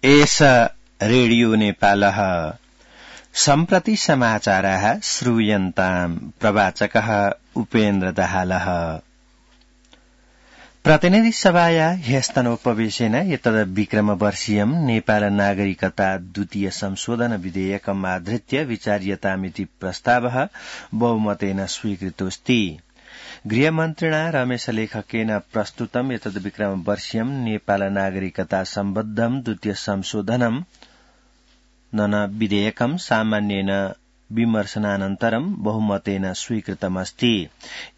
एष रेडियो नेपालः सम्प्रति समाचाराः श्रूयन्ताम् प्रवाचकः उपेन्द्र दाहालः। प्रतिनिधि सभाया ह्यस्तनोपवेशेन एतद्विक्रमवर्षीयम् नेपाल नागरिकता द्वितीय संशोधन विधेयकम् आधृत्य विचार्यतामिति प्रस्तावः बहुमतेन स्वीकृतोऽस्ति। गृहमन्त्रिणा रमेश लेखकेन प्रस्तुतम् एतद्विक्रमवर्षीयम् नेपाल नागरिकता सम्बद्धम् द्वितीय संशोधनम् विधेयकम् सामान्येन विमर्शनानन्तरम् बहुमतेन स्वीकृतमस्ति।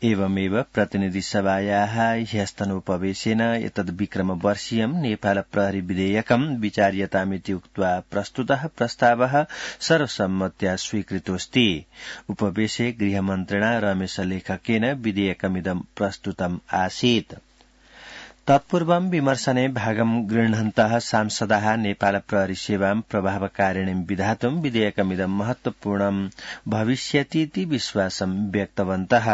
एवमेव प्रतिनिधि सभायाः ह्यस्तनोपवेशेन एतद्विक्रमवर्षीयम् नेपाल प्रहरी विधेयकम् विचार्यतामिति उक्त्वा प्रस्तुतः प्रस्तावः सर्वसम्मत्या स्वीकृतोऽस्ति। उपवेशे गृहमन्त्रिणा रमेश लेखकेन विधेयकमिदं प्रस्तुतम् आसीत्। तत्पूर्वं विमर्शने भागं गृह्णन्तः सांसदाः नेपाल प्रहरी सेवां प्रभावकारिणीं विधातुं विधेयकमिदं महत्वपूर्णं भविष्यतीति विश्वासं व्यक्तवन्तः।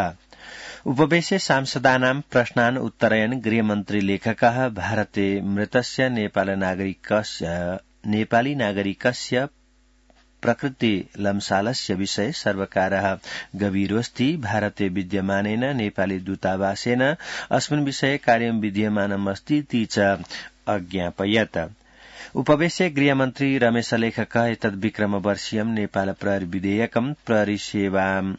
उपवेशे सांसदानां प्रश्नान् उत्तरयन् गृहमन्त्री लेखकः भारते मृतस्य नेपाली नागरिकस्य प्रकृति लम्सालस्य विषये सर्वकारः गभीरोऽस्ति। भारते विद्यमानेन नेपाली दूतावासेन अस्मिन् विषये कार्यं विधीयमानमस्तीति च अज्ञापयत्। उपवेशे गृहमन्त्री रमेश लेखकः एतद्विक्रमवर्षीयम् नेपाल प्रहरी विधेयकम् प्रहरी सेवां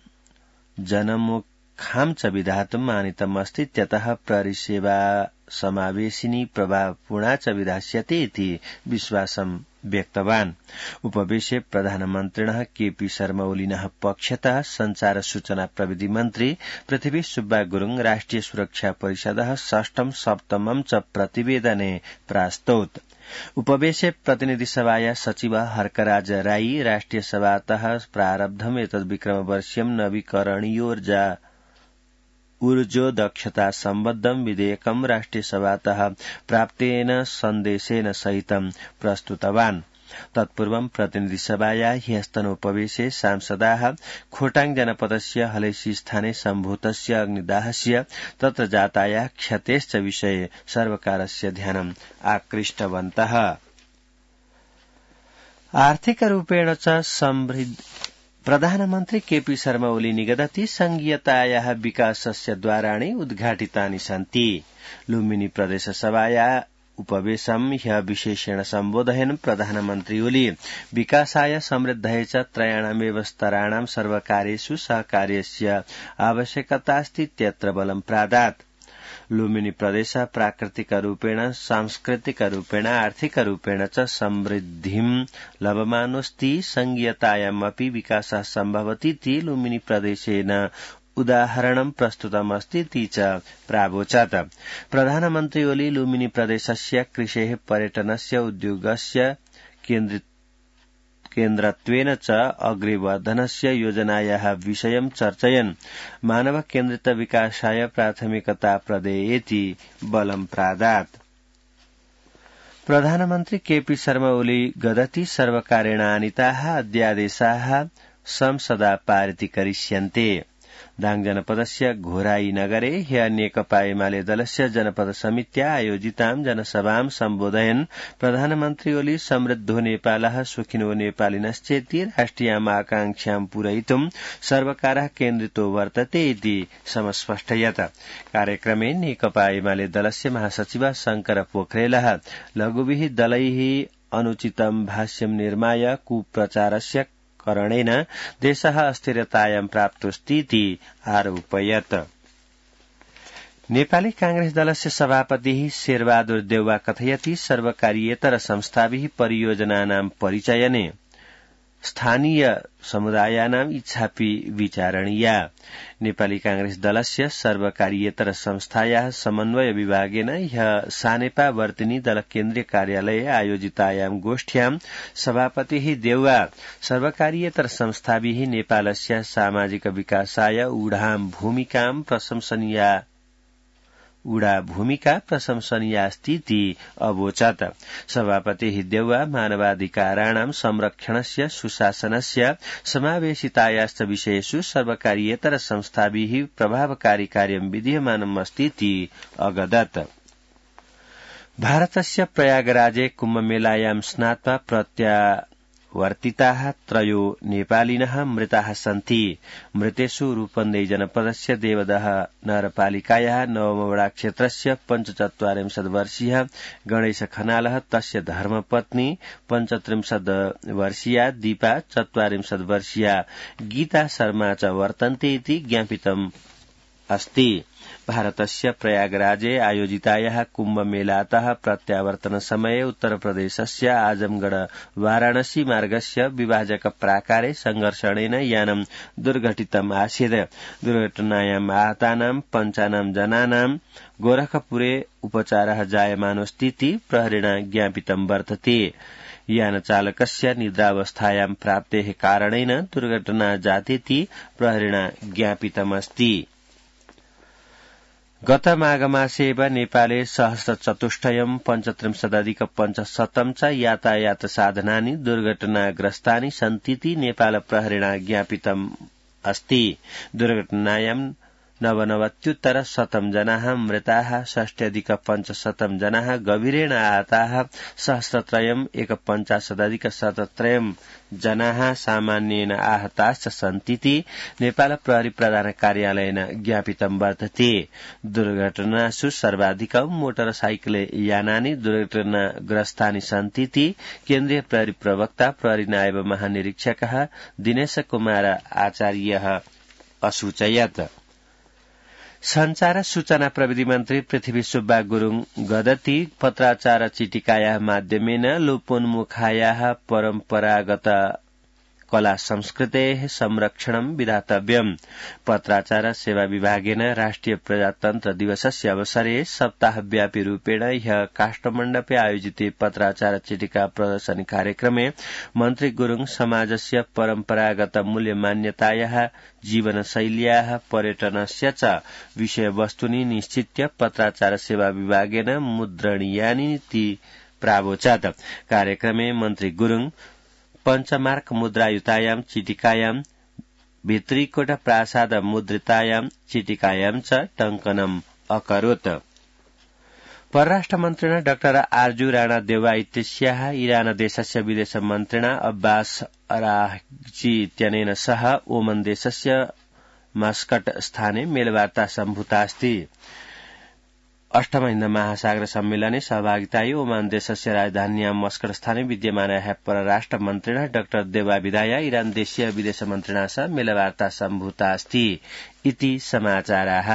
जनमुखां च विधातुम् आनीतमस्ति। त्यतः प्रहरी सेवा समावेशिनी प्रभावपूर्णा च विधास्यते इति विश्वासं व्यक्तवान्। उपवेशे प्रधानमन्त्रिणः केपी शर्मा ओलीनः पक्षतः संचार सूचना प्रविधि मन्त्री पृथ्वी सुब्बा गुरुङ राष्ट्रिय सुरक्षा परिषदः षष्ठम सप्तमं च प्रतिवेदने प्रास्तौत्। उपवेशे प्रतिनिधि सभाया सचिव हर्कराज राई राष्ट्रिय सभातः प्रारब्धम् एतद्विक्रमवर्षीयम् ऊर्जो दक्षता सम्बद्धम् विधेयकम् राष्ट्रिय सभातः प्राप्तेन सन्देशेन सहितं प्रस्तुतवान्। तत्पूर्वं प्रतिनिधि सभाया ह्यस्तनोपवेशे सांसदाः खोटाङ जनपदस्य हलैसी स्थाने सम्भूतस्य अग्निदाहस्य तत्र जाताया क्षतेश्च विषये सर्वकारस्य ध्यानम् आकृष्टवन्तः। आर्थिकरूपेण च समृद्ध प्रधानमन्त्री केपी शर्मा ओली निगदति संघीयतायाः विकासस्य द्वाराणि उद्घाटितानि सन्ति। लुम्बिनी प्रदेश सभाया उपवेशम् ह्यः विशेषेण सम्बोधयन् प्रधानमन्त्री ओली विकासाय समृद्धये च त्रयाणामेव स्तराणां सर्वकार्येषु सहकार्यस्य आवश्यकतास्तीत्यत्र बलं प्रादात्। लुम्बिनी प्रदेश प्राकृतिकरूपेण सांस्कृतिकरूपेण आर्थिकरूपेण च समृद्धिं लभमानोऽस्ति। संघीयतायामपि विकासः सम्भवतीति लुम्बिनी प्रदेशेन उदाहरणं प्रस्तुतमस्तीति च प्रावोचत्। प्रधानमन्त्री ओली लुम्बिनी प्रदेशस्य कृषेः पर्यटनस्य उद्योगस्य केन्द्रत्वेन च अग्रेवर्धनस्य योजनायाः विषयं चर्चयन् मानव केन्द्रित विकासाय प्राथमिकता प्रदेयेति बलं प्रादात्। प्रधानमन्त्री केपी शर्मा ओली गदति सर्वकारेण आनीताः अध्यादेशाः संसदा पारितीकरिष्यन्ते। दाङ जनपदस्य घोराई नगरे ह्यः नेकपा एमाले दलस्य जनपद समित्या आयोजितां जनसभां सम्बोधयन् प्रधानमन्त्री ओली समृद्धो नेपालः सुखिनो नेपालिनश्चेति राष्ट्रियाम् आकांक्षां पूरयितुं सर्वकारः केन्द्रितो वर्तते इति समस्पष्टयत्। कार्यक्रमे नेकपा एमाले दलस्य महासचिवः शंकर पोखरेलः लघुभिः दलैः अनुचितं भाष्यं निर्माय कुप्रचारस्य करणेन देशः अस्थिरतायां प्राप्तोऽस्तीति आरोपयत्। नेपाली कांग्रेस दलस्य सभापतिः शेरबहादुर देउवा कथयति सर्वकारीयेतर संस्थाभिः परियोजनानां परिचयने स्थानीय समुदायानां इच्छापि विचारणीया। नेपाली कांग्रेस दलस्य सर्वकारीयेतर संस्थायाः समन्वय विभागेन ह्यः सानेपा वर्तिनी दल केन्द्रीय कार्यालये आयोजितायां गोष्ठ्यां सभापतिः देउवा सर्वकारीयेतर संस्थाभिः नेपालस्य सामाजिक विकासाय ऊढा भूमिका प्रशंसनीयास्तीति अवोचत्। सभापतिः देउवा मानवाधिकाराणां संरक्षणस्य सुशासनस्य समावेशितायाश्च विषयेषु सर्वकारीयेतर संस्थाभिः प्रभावकारी कार्यं विधीयमानमस्तीति अगदत्। भारतस्य प्रयागराजे कुम्भमेलायां स्नात्वा प्रत्यावर्तिताः त्रयो नेपालिनः मृताः सन्ति। मृतेषु रूपन्देही जनपदस्य देवदह नगरपालिकायाः नवमवडाक्षेत्रस्य 45 वर्षीयः गणेश खनालः, तस्य धर्मपत्नी 35 वर्षीया दीपा, 44 वर्षीया गीता शर्मा च वर्तन्ते इति ज्ञापितम् अस्ति। भारतस्य प्रयागराजे आयोजितायाः कुम्भमेलातः प्रत्यावर्तनसमये उत्तरप्रदेशस्य आजमगढ़ वाराणसी मार्गस्य विभाजक प्राकारे संघर्षणेन यानं दुर्घटितम् आसीत्। दुर्घटनायाम् आहतानां 5 जनानां गोरखपुरे उपचारः जायमानोऽस्तीति प्रहरिणा ज्ञापितं वर्तते। यानचालकस्य निद्रावस्थायां प्राप्तेः कारणेन दुर्घटना जातेति प्रहरिणा ज्ञापितमस्ति। गत माघमासे एव नेपाले सहस्रचतुष्टयम् 35,500 च यातायात साधनानि दुर्घटनाग्रस्तानि सन्तीति नेपाल प्रहरिणा ज्ञापितम् अस्ति। दुर्घटनायां 99,100 जनाः मृताः, 60,500 जनाः गभीरेण आहताः, सहस्रत्रयम् 51,000 जनाः सामान्येन आहताश्च सन्तीति नेपाल प्रहरी प्रधान कार्यालयेन ज्ञापितं वर्तते। दुर्घटनासु सर्वाधिकं मोटरसाइकल यानानि दुर्घटनाग्रस्तानि सन्तीति केन्द्रीय प्रहरी प्रवक्ता प्रहरी नायब महानिरीक्षकः दिनेश कुमार आचार्यः असूचयत्। संचार सूचना प्रविधि मन्त्री पृथ्वी सुब्बा गुरुङ गदती पत्राचार चिटिकायाः माध्यमेन लोपोन्मुखायाः परम्परागत कला संस्कृतेः संरक्षणं विधातव्यम्। पत्राचार सेवा विभागेन राष्ट्रिय प्रजातन्त्र दिवसस्य अवसरे सप्ताहव्यापी रूपेण ह्यः काष्ठमण्डपे आयोजिते पत्राचार चिटिका प्रदर्शनी कार्यक्रमे मन्त्री गुरुङ समाजस्य परम्परागत मूल्यमान्यतायाः, जीवनशैल्याः, पर्यटनस्य च विषयवस्तुनि निश्चित्य पत्राचार सेवा विभागेन मुद्रणीयानि इति प्रावोचत्। कार्यक्रमे मन्त्री गुरुङ पञ्चमार्क मुद्रायुतायां चिटिकायां, भित्रीकोट प्रासाद मुद्रितायां चिटिकायां च टङ्कनम् अकरोत्। परराष्ट्रमन्त्रिणा डाक्टर आर्जू राणा देवा इत्यस्याः इरान देशस्य विदेश मन्त्रिणा अब्बास अराघची इत्यनेन सह ओमन देशस्य मस्कट स्थाने मेलवार्ता सम्भूता अस्ति। अष्टम हिन्द महासागर सम्मेलने सहभागितायै ओमान देशस्य राजधान्यां मस्कट स्थाने विद्यमानायाः परराष्ट्र मन्त्रिणा डाक्टर देवा विदाया इरान देशीय विदेश मन्त्रिणा सह मेलवार्ता सम्भूता अस्ति इति समाचाराः।